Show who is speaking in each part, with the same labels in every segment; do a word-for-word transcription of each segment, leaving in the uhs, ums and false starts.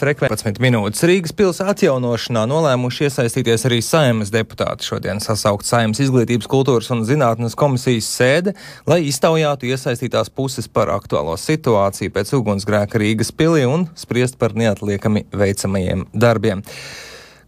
Speaker 1: frekvences minūtes. Rīgas pils atjaunošanā nolēmuši iesaistīties arī Saeimas deputāti. Šodien sasaukt Saeimas izglītības, kultūras un zinātnes komisijas sēde, lai iztaujātu iesaistītās puses par aktuālo situāciju pēc ugunsgrēka Rīgas pilī un spriest par neatliekami veicamajiem darbiem.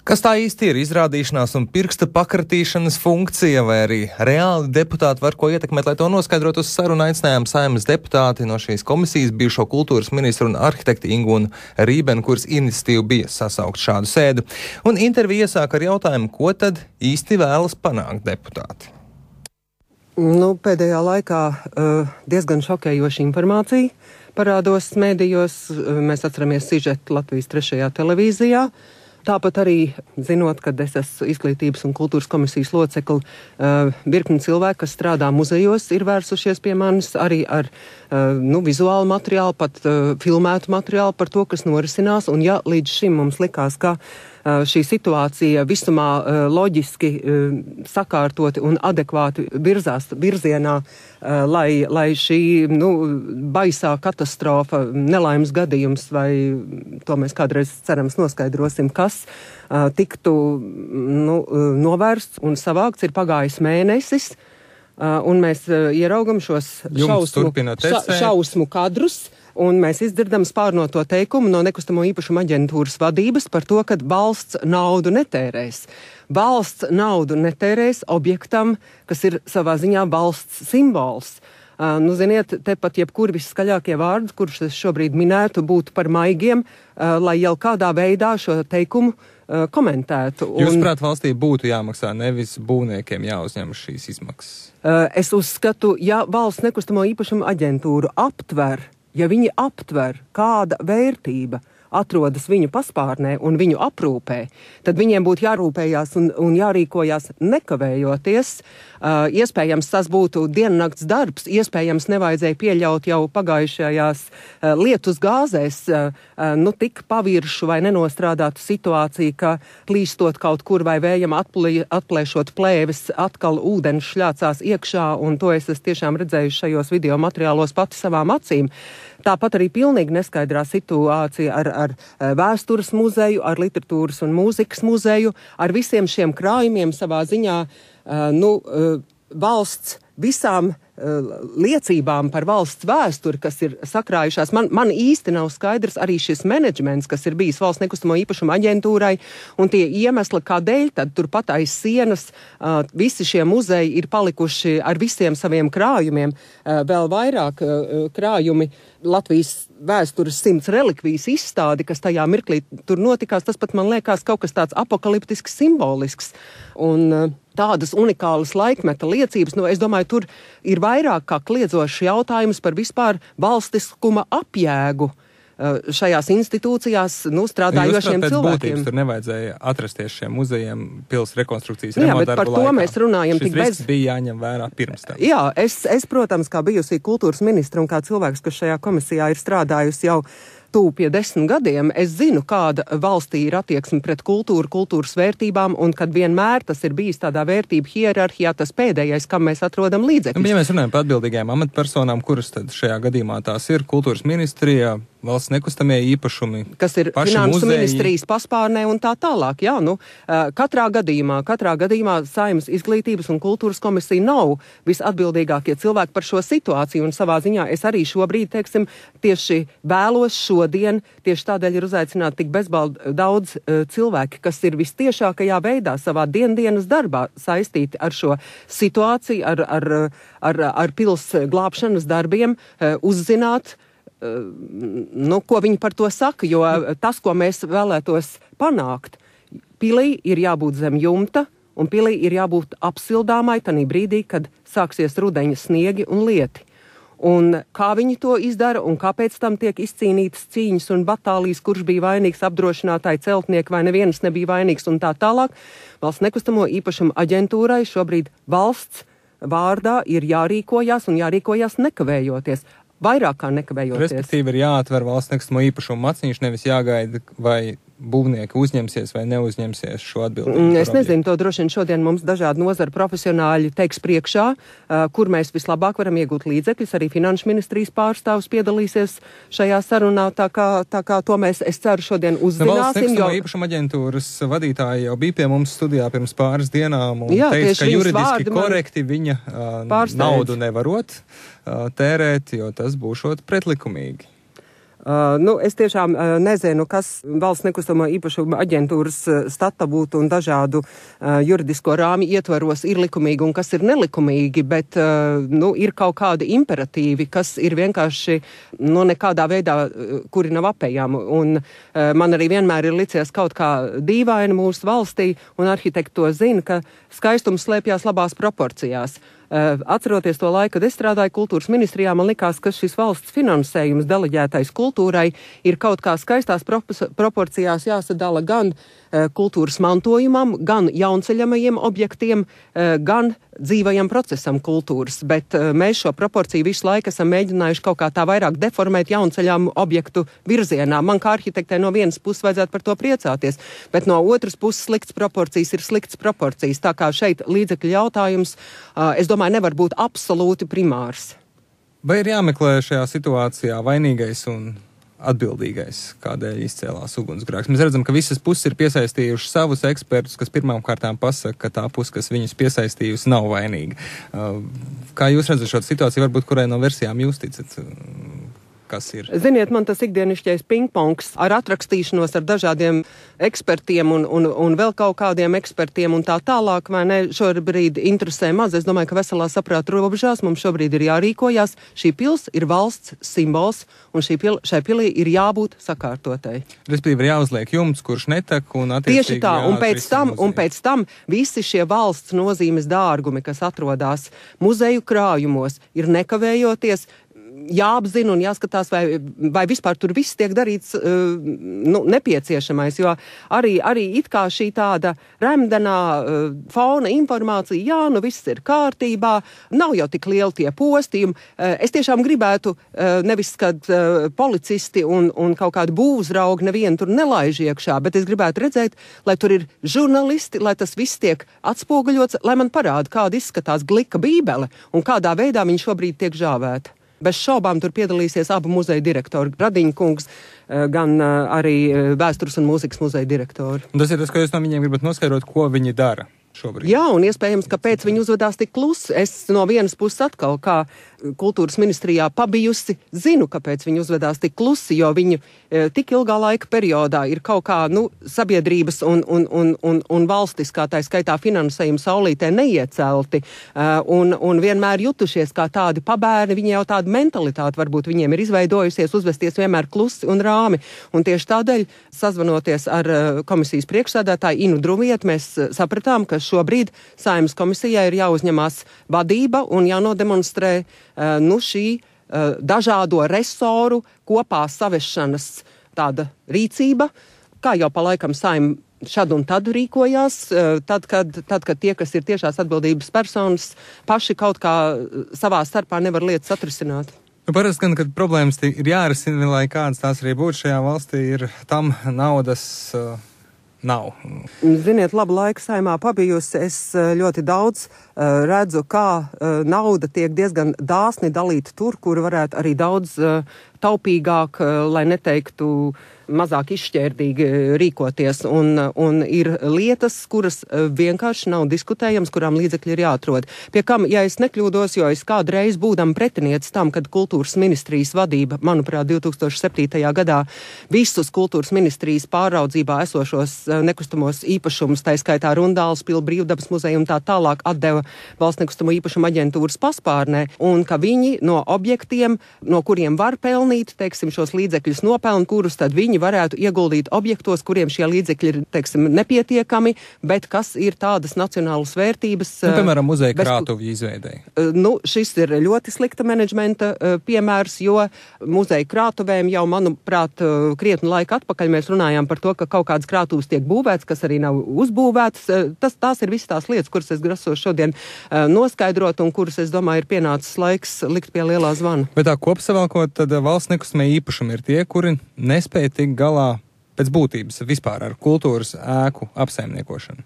Speaker 1: Kas tā īsti ir? Izrādīšanās un pirksta pakratīšanas funkcija, vai arī reāli deputāti var ko ietekmēt, lai to noskaidrot uz sarunu aicinājām Saeimas deputāti no šīs komisijas, bijušo kultūras ministru un arhitekti Ingūnu Rībenu, kuras iniciatīva bija sasaukt šādu sēdu. Un interviju iesāk ar jautājumu, ko tad īsti vēlas panākt deputāti?
Speaker 2: Nu, pēdējā laikā uh, diezgan šokējoša informācija parādos mēdījos. Mēs atceramies sižetu Latvijas trešajā televīzijā. Tāpat arī, zinot, ka es esmu izglītības un kultūras komisijas locekli, uh, virkni cilvēki, kas strādā muzejos, ir vērsušies pie manis arī ar uh, nu, vizuālu materiālu, pat uh, filmētu materiālu par to, kas norisinās. Un ja līdz šim mums likās, ka uh, šī situācija visumā uh, loģiski uh, sakārtoti un adekvāti virzās virzienā, uh, lai, lai šī nu, baisā katastrofa, nelaimes gadījums, vai to mēs kādreiz cerams noskaidrosim, kas Uh, tiktu nu, uh, novērsts un savākts, ir pagājis mēnesis, uh, un mēs uh, ieraugam šos šausmu, ša, šausmu kadrus, un mēs izdzirdam spārnoto teikumu no nekustamo īpašumu aģentūras vadības par to, ka valsts naudu netērēs. Valsts naudu netērēs objektam, kas ir savā ziņā valsts simbols. Uh, nu, ziniet, tepat jebkuri viskaļākie vārdi, kurus es šobrīd minētu, būtu par maigiem, uh, lai jau kādā veidā šo teikumu uh, komentētu. Un,
Speaker 1: Jūsuprāt, valstī būtu jāmaksā, nevis būvniekiem jāuzņem šīs izmaksas?
Speaker 2: Uh, es uzskatu, ja valsts nekustamo īpašumu aģentūru aptver, ja viņi aptver, kāda vērtība atrodas viņu paspārnē un viņu aprūpē, tad viņiem būtu jārūpējās un, un jārīkojās nekavējoties. Uh, iespējams, tas būtu diennakts darbs, iespējams, nevajadzēja pieļaut jau pagājušajās uh, lietus gāzēs uh, uh, nu tik paviršu vai nenostrādātu situāciju, ka plīstot kaut kur vai vējam atplī, atplēšot plēves, atkal ūdens šļācās iekšā, un to es esmu tiešām redzējuši šajos video materiālos pati savām acīm. Tāpat arī pilnīgi neskaidrā situācija ar, ar vēstures muzeju, ar literatūras un mūzikas muzeju, ar visiem šiem krājumiem savā ziņā, uh, nu, uh, valsts visām uh, liecībām par valsts vēsturi, kas ir sakrājušās. Man, man īsti nav skaidrs arī šis menedžments, kas ir bijis valsts nekustamo īpašumu aģentūrai, un tie iemesli, kādēļ tad turpat aiz sienas uh, visi šie muzeji ir palikuši ar visiem saviem krājumiem, uh, vēl vairāk uh, krājumi Latvijas vēstures simts relikvijas izstādi, kas tajā mirklī tur notikās, tas pat man liekas kaut kas tāds apokaliptisks, simbolisks. Un uh, tādas unikālas laikmeta liecības, nu, es domāju, tur ir vairāk kā kliedzošs jautājums par vispār valstiskuma apjēgu uh, šajās institūcijās, nu, strādājošiem cilvēkiem. Būtības,
Speaker 1: tur nevajadzēja atrasties šiem muzejiem pils rekonstrukcijas
Speaker 2: jā,
Speaker 1: remonta darbu laikā.
Speaker 2: Jā, bet par to mēs runājam
Speaker 1: Šis
Speaker 2: tik bez...
Speaker 1: risks bija jāņem vērā pirms tam.
Speaker 2: Jā, es, es, protams, kā bijusī kultūras ministra un kā cilvēks, kas šajā komisijā ir strādājusi jau tuvu pie desmit gadiem, es zinu, kāda valstī ir attieksme pret kultūru, kultūras vērtībām, un kad vienmēr tas ir bijis tādā vērtību hierarhijā, tas pēdējais, kam mēs atrodam līdzekļus.
Speaker 1: Ja mēs runājam par atbildīgajām amatpersonām, kuras tad šajā gadījumā tās ir kultūras ministrijā, valsts nekustamie īpašumi,
Speaker 2: kas ir finansu muzeji, ministrijas paspārnē un tā tālāk. Jā, nu, katrā gadījumā, katrā gadījumā Saeimas izglītības un kultūras komisija nav visatbildīgākie cilvēki par šo situāciju, un savā ziņā es arī šobrīd, teiksim, tieši vēlos šodien, tieši tādēļ ir uzaicināti tik bezbaldi daudz uh, cilvēki, kas ir vistiešākajā veidā savā diendienas darbā saistīti ar šo situāciju, ar, ar, ar, ar pils glābšanas darbiem, uh, uzzināt, nu, ko viņi par to saka, jo tas, ko mēs vēlētos panākt, pilī ir jābūt zem jumta, un pilī ir jābūt apsildāmai tanī brīdī, kad sāksies rudeņa sniegi un lieti. Un kā viņi to izdara, un kāpēc tam tiek izcīnītas cīņas un batālijas, kurš bija vainīgs, apdrošinātāji, celtnieki, vai nevienas nebija vainīgs un tā tālāk. Valsts nekustamo īpašumu aģentūrai šobrīd valsts vārdā ir jārīkojās un jārīkojās nekavējoties. Vairāk kā nekavējoties.
Speaker 1: Respektīvi ir jāatver valsts nekustamo īpašumu maciņš, nevis jāgaida, vai būvnieki uzņemsies vai neuzņemsies šo atbildību?
Speaker 2: Es nezinu, to droši vien šodien mums dažādi nozara profesionāļi teiks priekšā, kur mēs vislabāk varam iegūt līdzekļus. Arī Finanšu ministrijas pārstāvs piedalīsies šajā sarunā, tā kā, tā kā to mēs, es ceru, šodien uzzināsim.
Speaker 1: Valsts nekustamo īpašumu aģentūras vadītāji jau bija pie mums studijā pirms pāris dienām un
Speaker 2: Jā,
Speaker 1: teica, ka juridiski korekti
Speaker 2: man...
Speaker 1: viņa uh, naudu nevarot uh, tērēt, jo tas būšot pretlikumīgi.
Speaker 2: Uh, nu, es tiešām uh, nezinu, kas valsts nekustamo īpašumu aģentūras uh, stata būtu un dažādu uh, juridisko rāmi ietvaros ir likumīgi un kas ir nelikumīgi, bet uh, nu, ir kaut kādi imperatīvi, kas ir vienkārši nu, nekādā veidā, uh, kuri nav apējami. Un uh, man arī vienmēr ir licies kaut kā dīvaini mūsu valstī, un arhitekti to zina, ka skaistums slēpjās labās proporcijās. Uh, atceroties to laiku, kad es strādāju kultūras ministrijā, man likās, ka šis valsts finansējums deleģētais kultūrai ir kaut kā skaistās proporcijās jāsadala gan uh, kultūras mantojumam, gan jaunceļamajiem objektiem, uh, gan dzīvajam procesam kultūras, bet uh, mēs šo proporciju visu laiku esam mēģinājuši kaut kā tā vairāk deformēt jaunceļām objektu virzienā. Man kā arhitektē no vienas puses vajadzētu par to priecāties, bet no otras puses slikts proporcijas ir slikts proporcijas. Tā kā šeit līdzekļu jautājums, uh, es domāju, nevar būt absolūti primārs.
Speaker 1: Vai ir jāmeklē šajā situācijā vainīgais un atbildīgais, kādēļ izcēlās ugunsgrēks? Mēs redzam, ka visas puses ir piesaistījuši savus ekspertus, kas pirmām kārtām pasaka, ka tā puse, kas viņus piesaistījusi, nav vainīga. Kā jūs redzat šo situāciju, varbūt kurai no versijām jūs ticat? Kas ir?
Speaker 2: Ziniet, man tas ikdienišķais pingpongs ar atrakstīšanos ar dažādiem ekspertiem un, un, un vēl kaut kādiem ekspertiem un tā tālāk, vai ne, šobrīd interesē maz. Es domāju, ka veselā saprāta robežās mums šobrīd ir jārīkojās. Šī pils ir valsts simbols, un šī pil, šai pilī ir jābūt sakārtotai.
Speaker 1: Respektīvi ir jāuzliek jumts, kurš netek, un attiecīgi
Speaker 2: tieši tā, un pēc tam, un pēc tam visi šie valsts nozīmes dārgumi, kas atrodas muzeju krājumos, ir nekavējoties jāapzina un jāskatās, vai, vai vispār tur viss tiek darīts uh, nu, nepieciešamais, jo arī, arī it kā šī tāda remdenā uh, fauna informācija, jā, nu viss ir kārtībā, nav jau tik lieli tie postījumi. Uh, es tiešām gribētu uh, nevis, kad uh, policisti un, un kaut kādi būvzraugi nevienu tur nelaiž iekšā, bet es gribētu redzēt, lai tur ir žurnalisti, lai tas viss tiek atspoguļots, lai man parāda, kāda izskatās glika bībele un kādā veidā viņi šobrīd tiek žāvēti. Bez šaubām tur piedalīsies abu muzeju direktori, Radiņa kungs, gan arī Vēstures un mūzikas muzeja direktori.
Speaker 1: Un tas ir tas, ko jūs no viņiem gribat noskaidrot, ko viņi dara šobrīd.
Speaker 2: Jā, un iespējams, kāpēc viņi uzvedās tik klusi. Es no vienas puses atkal, kā kultūras ministrijā pabijusi, zinu, kāpēc viņi uzvedās tik klusi, jo viņi e, tik ilgā laika periodā ir kaut kā, nu, sabiedrības un, un, un, un, un valstiskā, tā skaitā finansējuma saulītē neiecelti, e, un, un vienmēr jutušies kā tādi pabērni, viņi jau tādu mentalitāti varbūt viņiem ir izveidojusies, uzvesties vienmēr klusi un rāmi. Un tieši tādēļ, sazvanoties ar komisijas priekšsēdētāju Inu Druvietu, mēs sapratām, ka šobrīd Saeimas komisijai ir jāuzņemās vadība un jānodemonstrē uh, nu šī uh, dažādo resoru kopā savešanas tāda rīcība, kā jau pa laikam Saeima šad un tad rīkojās, uh, tad, kad, tad, kad tie, kas ir tiešās atbildības personas, paši kaut kā savā starpā nevar lietas atrisināt.
Speaker 1: Nu, parasti gan, kad problēmas ir jārisina, lai kādas tās arī būtu šajā valstī, ir tam naudas uh, nav.
Speaker 2: Ziniet, labu laiku Saeimā pabijusi, es ļoti daudz uh, redzu, kā uh, nauda tiek diezgan dāsni dalīta tur, kur varētu arī daudz uh, taupīgāk, uh, lai neteiktu mazāk izšķērdīgi rīkoties. Un, un ir lietas, kuras vienkārši nav diskutējams, kurām līdzekļi ir jāatrod. Pie kam, ja es nekļūdos, jo es kādreiz būdam pretinieci tam, kad kultūras ministrijas vadība, manuprāt, divi tūkstoši septītajā gadā visus kultūras ministrijas pāraudzībā esošos nekustamos īpašumus, tā skaitā Rundāles pili, Brīvdabas muzeju un tā tālāk atdeva valsts nekustamo īpašumu aģentūras paspārnē, un ka viņi no objektiem, no kuriem var pelnīt, teiksim, šos līdzekļus nopeln, kurus tad viņi varētu ieguldīt objektos, kuriem šie līdzekļi ir, teiksim, nepietiekami, bet kas ir tādas nacionālas vērtības.
Speaker 1: Nu, piemēram, muzeja krātuvju izveidēji.
Speaker 2: Nu, šis ir ļoti slikta menedžmenta piemērs, jo muzeja krātuvēm jau, manuprāt, krietnu laiku atpakaļ mēs runājām par to, ka kaut kādas krātuves tiek būvētas, kas arī nav uzbūvētas. Tas, tās ir visas tās lietas, kuras es grasos šodien noskaidrot un kuras, es domāju, ir pienācis laiks likt pie lielā zvana.
Speaker 1: Bet tā kopsavilkot, tad valsts nekustamie īpašumi ir tie, kuri nespēja tikt galā pēc būtības vispār ar kultūras ēku apsaimniekošanu,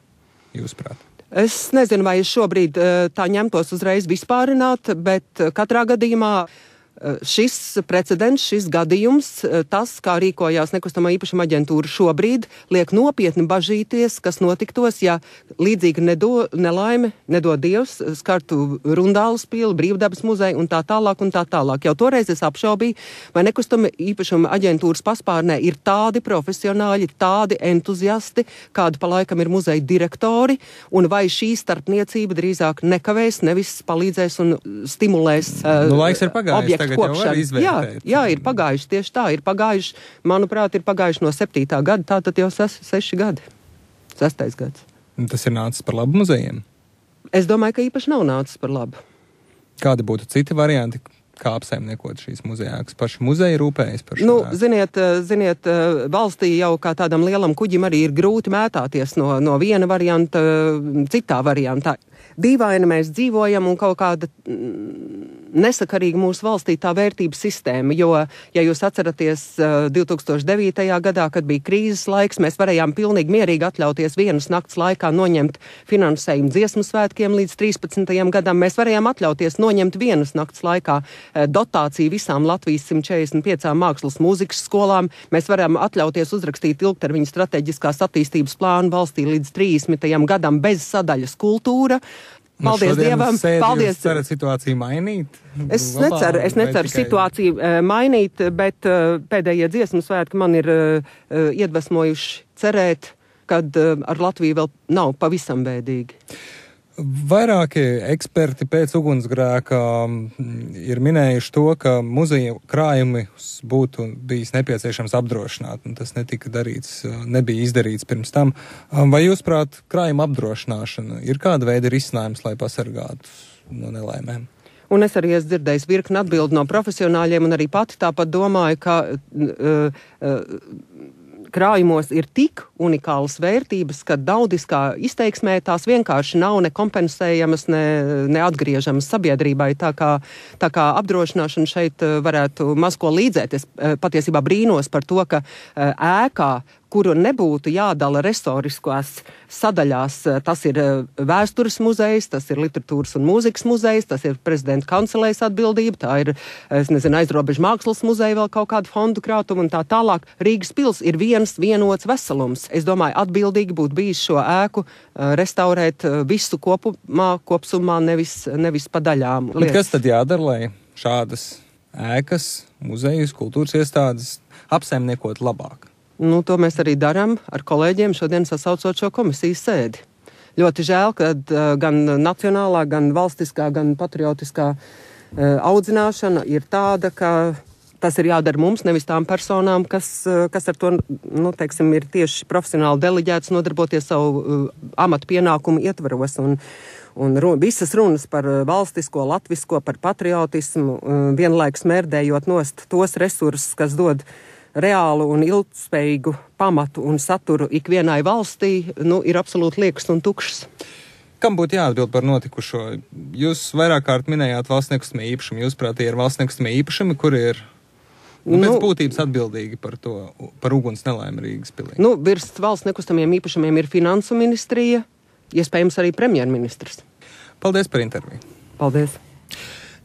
Speaker 1: jūsuprāt?
Speaker 2: Es nezinu, vai es šobrīd tā ņemtos uzreiz vispārināt, bet katrā gadījumā šis precedents, šis gadījums, tas, kā rīkojās nekustamā īpašuma aģentūra šobrīd, liek nopietni bažīties, kas notiktos, ja līdzīgi nedo, nelaime, nedod Dievs, skartu Rundāles pili, Brīvdabas muzeju un tā tālāk un tā tālāk. Jau toreiz es apšaubīju, vai nekustama īpašuma aģentūras paspārnē ir tādi profesionāļi, tādi entuziasti, kādi pa laikam ir muzeja direktori, un vai šī starpniecība drīzāk nekavēs, nevis palīdzēs un stimulēs uh,
Speaker 1: nu, laiks ir pagājis.
Speaker 2: Jā, jā, ir pagājuši, tieši tā, ir pagājuši, manuprāt, ir pagājuši no septītā gada, tātad jau ses, seši gadi, sestais gads.
Speaker 1: Tas ir nācis par labu muzejiem?
Speaker 2: Es domāju, ka īpaši nav nācis par labu.
Speaker 1: Kādi būtu citi varianti, kā apsaimniekot šīs muzejākas? Paši muzeji rūpējas par šo?
Speaker 2: Nu, ziniet, ziniet, valstī jau kā tādam lielam kuģim arī ir grūti mētāties no, no viena varianta citā variantā. Dīvaini mēs dzīvojam un kaut kāda nesakarīga mūsu valstī tā vērtības sistēma, jo, ja jūs atceraties divi tūkstoši devītajā gadā, kad bija krīzes laiks, mēs varējām pilnīgi mierīgi atļauties vienas nakts laikā noņemt finansējumu dziesmu svētkiem līdz trīspadsmitajam gadam. Mēs varējām atļauties noņemt vienas nakts laikā dotāciju visām Latvijas simt četrdesmit piecām mākslas mūzikas skolām. Mēs varējām atļauties uzrakstīt ilgtermiņa strateģiskās attīstības plānu valstī līdz trīsdesmitajam gadam bez sadaļas kultūra. Paldies nu Dievam! Paldies!
Speaker 1: Jūs cerat situāciju mainīt?
Speaker 2: Es neceru, es neceru tikai... situāciju uh, mainīt, bet uh, pēdējie dziesmu svētki man ir uh, iedvesmojuši cerēt, kad uh, ar Latviju vēl nav pavisam bēdīgi.
Speaker 1: Vairāki eksperti pēc ugunsgrēka ir minējuši to, ka muzeja krājumi būtu bijis nepieciešams apdrošināt, un tas netika darīts, nebija izdarīts pirms tam. Vai jūs prāt, krājuma apdrošināšana ir kāda veida risinājums, lai pasargātu no nelaimēm?
Speaker 2: Un es arī esmu dzirdējis virkni atbildi no profesionāļiem, un arī pati tāpat domāju, ka uh, uh, krājumos ir tik unikālas vērtības, ka daudiskā izteiksmē tās vienkārši nav ne kompensējamas, ne, ne atgriežamas sabiedrībai. Tā kā, tā kā apdrošināšana šeit varētu maz ko līdzēt. Es patiesībā brīnos par to, ka ēkā, kuru nebūtu jādala restoriskās sadaļās, tas ir vēstures muzejs, tas ir literatūras un mūzikas muzejs, tas ir prezidenta kancelējas atbildība, tā ir, es nezinu, aizrobežu mākslas muzeja vēl kaut kādu fondu krātumu un tā tālāk. Rīgas pils ir viens vienots veselums. Es domāju, atbildīgi būtu bijis šo ēku restaurēt visu kopumā, kopsumā, nevis, nevis pa daļām.
Speaker 1: Bet kas tad jādara, lai šādas ēkas, muzejus, kultūras iestādes apsaimniekot labāk?
Speaker 2: Nu, to mēs arī darām ar kolēģiem šodien sasaucot šo komisijas sēdi. Ļoti žēl, ka uh, gan nacionālā, gan valstiskā, gan patriotiskā uh, audzināšana ir tāda, ka tas ir jādara mums, nevis tām personām, kas, uh, kas ar to, nu, teiksim, ir tieši profesionāli deleģēts nodarboties savu uh, amatu pienākumu ietvaros. Un, un ru, visas runas par uh, valstisko, latvisko, par patriotismu, uh, vienlaikus mērdējot nost tos resursus, kas dod reālu un ilgspējīgu pamatu un saturu ikvienai valstī, nu, ir absolūti liekas un tukšs.
Speaker 1: Kam būtu jāatbild par notikušo? Jūs vairāk kārt minējāt valsts nekustamie īpašumi. Jūs prāt, ir valsts nekustamie īpašumi, kuri ir nu, pēc nu, būtības atbildīgi par to, par uguns nelaimi Rīgas pilī?
Speaker 2: Nu, virs valsts nekustamiem īpašumiem ir finansu ministrija, iespējams arī premjerministrs.
Speaker 1: Paldies par interviju.
Speaker 2: Paldies.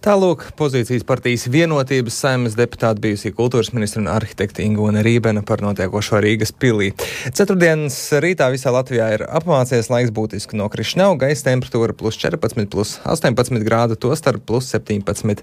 Speaker 1: Tālūk, pozīcijas partijas Vienotības Saeimas deputāta bijusī kultūras ministra un arhitekta Ingūne Rībena par notiekošo Rīgas pilī. Ceturtdienas rītā visā Latvijā ir apmācies, laiks būtiski nokrišņau, gaisa temperatūra plus četrpadsmit, plus astoņpadsmit grādu, tostarp plus septiņpadsmit